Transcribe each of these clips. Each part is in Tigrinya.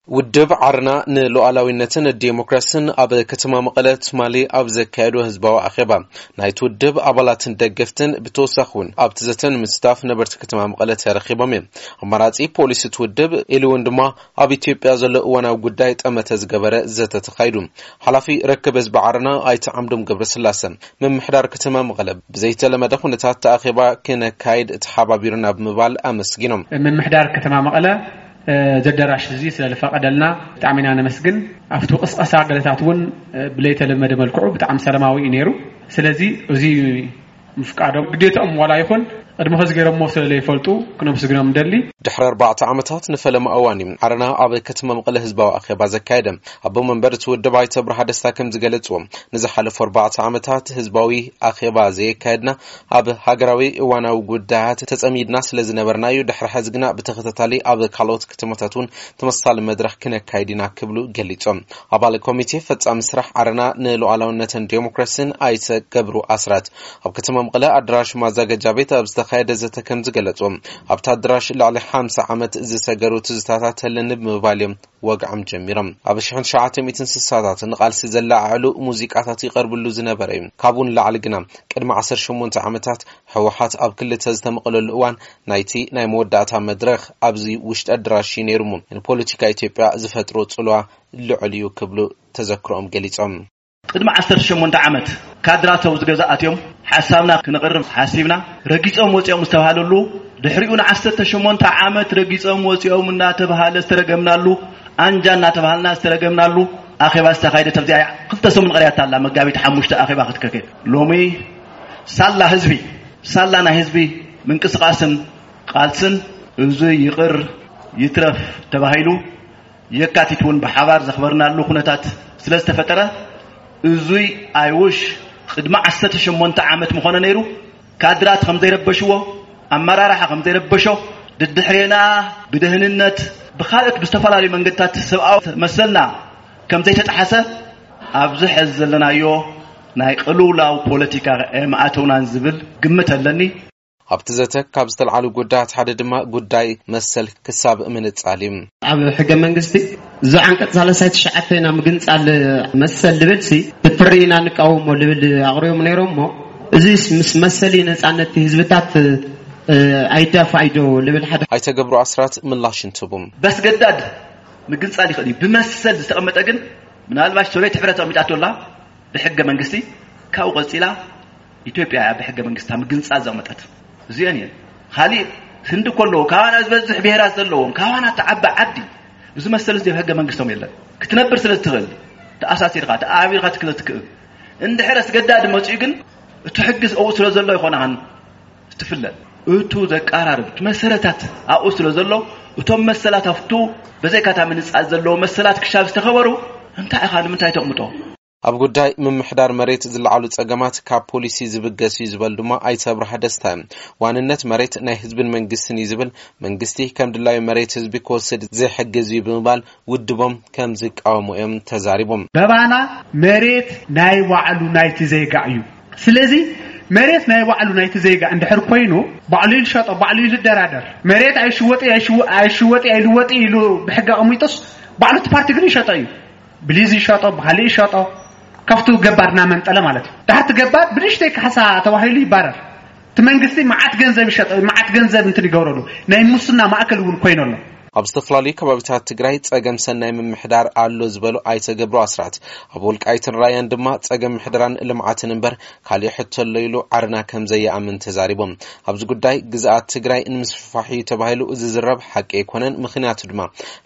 ውድብ ዓረና ንሉዓላዊነትን ዴሞክራስን ኣብ ከተማ መቐለ ትማሊ ኣብ ዘካየዶ ህዝባዊ ኣኼባ፣ ናይቲ ውድብ ኣባላትን ደገፍትን፣ ብተወሳኺ እውን ኣብቲ ዘተ ንምስታፍ ነበርቲ ከተማ መቐለ ተረኺቦም እዮም። ኣማራጺ ፖሊሲ እቲ ውድብ፣ ኢሉ እውን ድማ ኣብ ኢትዮጵያ ዘሎ እዋናዊ ጉዳይ ጠመተ ዝገበረ ዘተ ተኻይዱ። ሓላፊ ርክብ ህዝቢ ዓረና ኣይተ ዓምዶም ገብረስላሰ፣ ምምሕዳር ከተማ መቐለ ብዘይተለመደ ኩነታት እቲ ኣኼባ ክነካይድ ተሓባቢሩና ብምባል ኣመስጊኖም። ምምሕዳር ከተማ መቐለ፣ እ፣ እዚ ኣዳራሽ እዚ ስለ ዝፈቀደልና ብጣዕሚ ኢና ነመስግን። ኣብቲ ቅስቀሳ ገለታት እውን፣ እ፣ ብለይተለመደ መልክዑ ብጣዕሚ ሰላማዊ እዩ ነይሩ። ስለዚ እዚ ምፍቃዶም ግዴታኦም ዋላ ይኹን ቅድሚ ሕዚ ገይሮሞ ስለ ዘይፈልጡ ክነመስግኖም ንደሊ። ድሕሪ ኣርባዕተ ዓመታት ንፈለማ እዋን እዩ ዓረና ኣብ ከተማ መቐለ ህዝባዊ ኣኼባ ዘካየደ። ኣቦ መንበር እቲ ውድብ ኣይተ ኣብርሃ ደስታ ከም ዝገለጽዎ፣ ንዝሓለፉ ኣርባዕተ ዓመታት ህዝባዊ ኣኼባ ዘየካየድና ኣብ ሃገራዊ እዋናዊ ጉዳያት ተጸሚድና ስለ ዝነበርና እዩ። ድሕሪ ሕዚ ግና ብተኸታታሊ ኣብ ካልኦት ከተማታት እውን ተመሳሳሊ መድረኽ ክነካይድ ኢና ክብሉ ገሊጾም። ኣባል ኮሚቴ ፈጻሚ ስራሕ ዓረና ንሉዓላውነትን ዴሞክራሲን ኣይተ ገብሩ ኣስራት ኣብ ከተማ መቐለ ኣዳራሽ ማዘጋጃ ቤት ኣብ ዝተኻየደ ዘተ ከም ዝገለጹ፣ ኣብቲ ኣዳራሽ ልዕሊ ሓምሳ ዓመት ዝሰገሩ ትዝታታት ኣለኒ ብምባል እዮም ወግዖም ጀሚሮም። ኣብ ሽሕን ትሽዓተ ሚእትን ስሳታት ንቓልሲ ዘላዓዕሉ ሙዚቃታት ይቐርብሉ ዝነበረ እዩ። ካብኡ ንላዕሊ ግና ቅድሚ ዓሰርተ ሸሞንተ ዓመታት ህወሓት ኣብ ክልተ ዝተመቐለሉ እዋን ናይቲ ናይ መወዳእታ መድረኽ ኣብዚ ውሽጢ ኣዳራሽ እዩ ነይሩ እሞ ንፖለቲካ ኢትዮጵያ ዝፈጥሮ ጽልዋ ልዑል እዩ ክብሉ ተዘክሮኦም ገሊጾም። ቅድሚ ዓሰርተ ሸሞንተ ዓመት ካድራት ኣብዚ ገዛ ኣትዮም ሓሳብና ክነቕርብ ሓሲብና ረጊጾም ወጺኦም ዝተባሃለሉ፣ ድሕሪኡ ንዓሰርተ ሸሞንተ ዓመት ረጊጾም ወጺኦም እናተባሃለ ዝተረገምናሉ፣ ኣንጃ እናተባሃልና ዝተረገምናሉ ኣኼባ ዝተኻየደት ኣብዚኣ እያ። ክልተ ሰሙን ቀሪያታ ኣላ፣ መጋቢት ሓሙሽተ ኣኼባ ክትከከድ። ሎሚ ሳላ ህዝቢ፣ ሳላ ናይ ህዝቢ ምንቅስቓስን ቃልስን እዙይ ይቕር ይትረፍ ተባሂሉ የካቲት እውን ብሓባር ዘኽበርናሉ ኩነታት ስለ ዝተፈጠረ፣ እዙይ ኣይውሽ ቅድሚ ዓሰርተ ሸሞንተ ዓመት ምኾነ ነይሩ። ካድራት ከም ዘይረበሽዎ፣ ኣመራርሓ ከም ዘይረበሾ፣ ድድሕሬና ብደህንነት ብኻልኦት ብዝተፈላለዩ መንገድታት ሰብኣዊ መሰልና ከም ዘይተጣሓሰ ኣብዚ ሕዚ ዘለናዮ ናይ ቅልውላው ፖለቲካ ኣይምኣተውናን ዝብል ግምት ኣለኒ። ኣብቲ ዘተ ካብ ዝተልዓሉ ጉዳያት ሓደ ድማ ጉዳይ መሰል ክሳብ ምንጻል እዩ። ኣብ ሕገ መንግስቲ እዚ ዓንቀጽ ሰላሳ ትሽዓተ ኢና ምግንጻል መሰል ልብል ሲ ብትሪ ኢና ንቃወሞ ልብል ኣቕሪቦም ነይሮም እሞ እዚስ ምስ መሰል ነጻነት ህዝብታት፣ እ፣ ኣይዳፋእዶ ልብል ሓደ። ኣይተ ገብሩ ኣስራት ምላሽ እንትቡ። በስገዳድ ምግንጻል ይኽእል እዩ። ብመሰል ዝተቐመጠ ግን ምናልባሽ ሶሬት ሕብረት ኣቕሚጣቶ ኣላ። ብሕገ መንግስቲ ካብኡ ቀጺላ ኢትዮጵያ እያ ብሕገ መንግስታ ምግንጻል ዘቕመጠት። እዚአን እየን። ካሊእ ህንዲ እኮ ኣለዎ፣ ካባና ዝበዝሕ ብሄራት ዘለዎም፣ ካባና እተዓቢ ዓዲ። እዚ መሰል እዚ ኣብ ሕገ መንግስቶም የለን። ክትነብር ስለ እትኽእል፣ ተኣሳሲርካ፣ ተኣቢርካ ትክለ ትክእል። እንድሕር ኣስገዳዲ መጺኡ ግን እቲ ሕጊ ኣብኡ ስለ ዘሎ ኣይኮነኻን ትፍለጥ። እቱ ዘቃራርብ እቲ መሰረታት ኣብኡ ስለ ዘሎ፣ እቶም መሰላት ኣብቱ ብዘይካታ ምንጻል ዘለዎ መሰላት ክሻብ ዝተኸበሩ እንታይ ኢኻ ንምንታይ ተቕምጦ? ኣብ ጉዳይ ምምሕዳር መሬት ዝለዓሉ ጸገማት ካብ ፖሊሲ ዝብገስ እዩ ዝበል ድማ ኣይተ ኣብርሃ ደስታ። ዋንነት መሬት ናይ ህዝብን መንግስትን እዩ ዝብል፣ መንግስቲ ከም ድላዩ መሬት ህዝቢ ክወስድ ዘይሕግዝ እዩ ብምባል ውድቦም ከም ዝቃወሙ እዮም ተዛሪቦም። በባና መሬት ናይ ባዕሉ ናይቲ ዜጋ እዩ። ስለዚ መሬት ናይ ባዕሉ ናይቲ ዜጋ እንድሕር ኮይኑ ባዕሉ ይሸጦ፣ ባዕሉ ይደራደር። መሬት ኣይሽወጥ ኣይሽወ-፣ ኣይሽወጥ ኣይልወጥ ኢሉ ብሕጊ ኣቐሚጡስ ባዕሉ እቲ ፓርቲ ግን ይሸጦ እዩ። ብሊዝ ይሸጦ፣ ብኻሊእ ይሸጦ፣ ካብቱ ገባር እናመንጠለ ማለት እዩ። ድሓርቲ ገባር ብንእሽተይ ካሕሳ ተባሂሉ ይባረር። እቲ መንግስቲ መዓት ገንዘብ ይሸጦ፣ መዓት ገንዘብ እንትን ይገብረሉ። ናይ ሙስና ማእከል እውን ኮይኑ ኣሎ። ኣብ ዝተፈላለዩ ከባቢታት ትግራይ ጸገም ሰናይ ምምሕዳር ኣሎ ዝበሉ ኣይተ ገብሩ ኣስራት፣ ኣብ ወልቃይትን ራያን ድማ ጸገም ምሕደራን ልምዓትን እምበር ካሊእ ሕቶ ኣሎ ኢሉ ዓረና ከም ዘይኣምን ተዛሪቦም። ኣብዚ ጉዳይ ግዝኣት ትግራይ ንምስፍፋሕ እዩ ተባሂሉ ዝዝረብ ሓቂ ኣይኮነን። ምኽንያቱ ድማ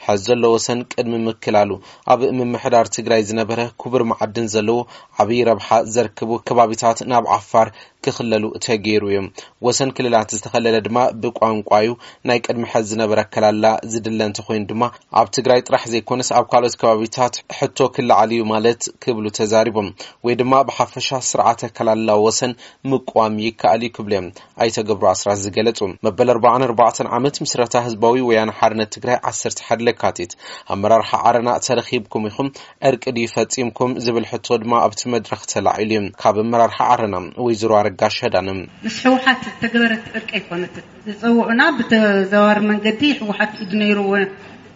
ሕዚ ዘሎ ወሰን ቅድሚ ምክላሉ ኣብ ምምሕዳር ትግራይ ዝነበረ ክቡር መዓድን ዘለዎ ዓብዪ ረብሓ ዘርክቡ ከባቢታት ናብ ዓፋር ክኽለሉ ተገይሩ እዩ። ወሰን ክልላት ዝተኸለለ ድማ ብቋንቋ እዩ። ናይ ቅድሚ ሕዚ ዝነበረ ኣከላልላ ዝድለ እንተኾይኑ ድማ ኣብ ትግራይ ጥራሕ ዘይኮነስ ኣብ ካልኦት ከባቢታት ሕቶ ክለዓል እዩ ማለት ክብሉ ተዛሪቦም። ወይ ድማ ብሓፈሻ ስርዓተ ኣከላልላ ወሰን ምቋም ይከኣል እዩ ክብሉ እዮም ኣይተ ገብሩ ኣስራት ዝገለጹ። መበል ኣርባዓን ኣርባዕተን ዓመት ምስረታ ህዝባዊ ወያነ ሓርነት ትግራይ ዓሰርተ ሓደ ለካቲት ኣመራርሓ ዓረና ተረኺብኩም ኢኹም፣ ዕርቂ ድዩ ፈጺምኩም ዝብል ሕቶ ድማ ኣብቲ መድረኽ ተላዒሉ እዩ። ካብ ኣመራርሓ ዓረና ወይዘሮ ኣረጋሽ ኣዳነ። ምስ ህወሓት ዝተገበረት ዕርቂ ኣይኮነትን። ዝጸውዑና ብተዘዋዋሪ መንገዲ ህወሓት ኢድ ነይርዎ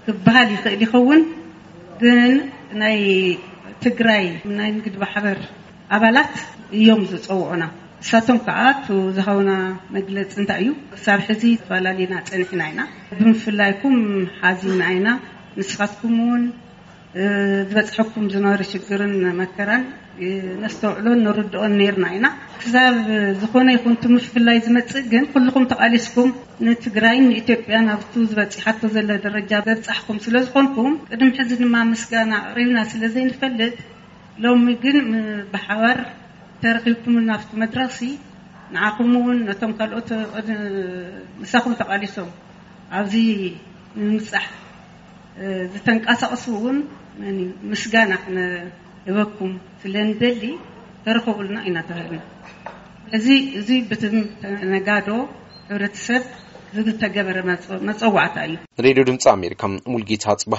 ክበሃል ይኽእል ይኸውን። ግን ናይ ትግራይ ናይ ንግድ ማሕበር ኣባላት እዮም ዝፀውዑና። እሳቶም ከዓ እቲ ዝሃቡና መግለፂ እንታይ እዩ? ክሳብ ሕዚ ተፈላለና ፀኒሕና ኢና። ብምፍላይኩም ሓዚና ኢና። ንስኻትኩም እውን ዝበፅሐኩም ዝነበረ ሽግርን መከራን ነስተውዕሎን ንርድኦን ነርና ኢና። ክሳብ ዝኾነ ይኹን እቲ ምፍላይ ዝመፅእ ግን ኩልኹም ተቓሊስኩም ንትግራይን ንኢትዮጵያን ኣብቱ ዝበፂሓቶ ዘለ ደረጃ ዘብፃሕኩም ስለ ዝኾንኩም ቅድሚ ሕዚ ድማ ምስጋና ኣቕሪብና ስለ ዘይንፈልጥ ሎሚ ግን ብሓባር ተረኺብኩም ናብቲ መድረኽሲ ንዓኹም እውን ነቶም ካልኦት ምሳኹም ተቓሊሶም ኣብዚ ንምብፃሕ ዝተንቀሳቐሱ እውን ምስጋና ክነህበኩም ስለ ንደሊ ተረኸቡልና ኢና ተባሂልና። እዚ እዚ ብትም ነጋዶ ሕብረተሰብ ዝተገበረ መፀዋዕታ እዩ። ሬድዮ ድምፂ ኣሜሪካ፣ ሙልጌታ ጽባ።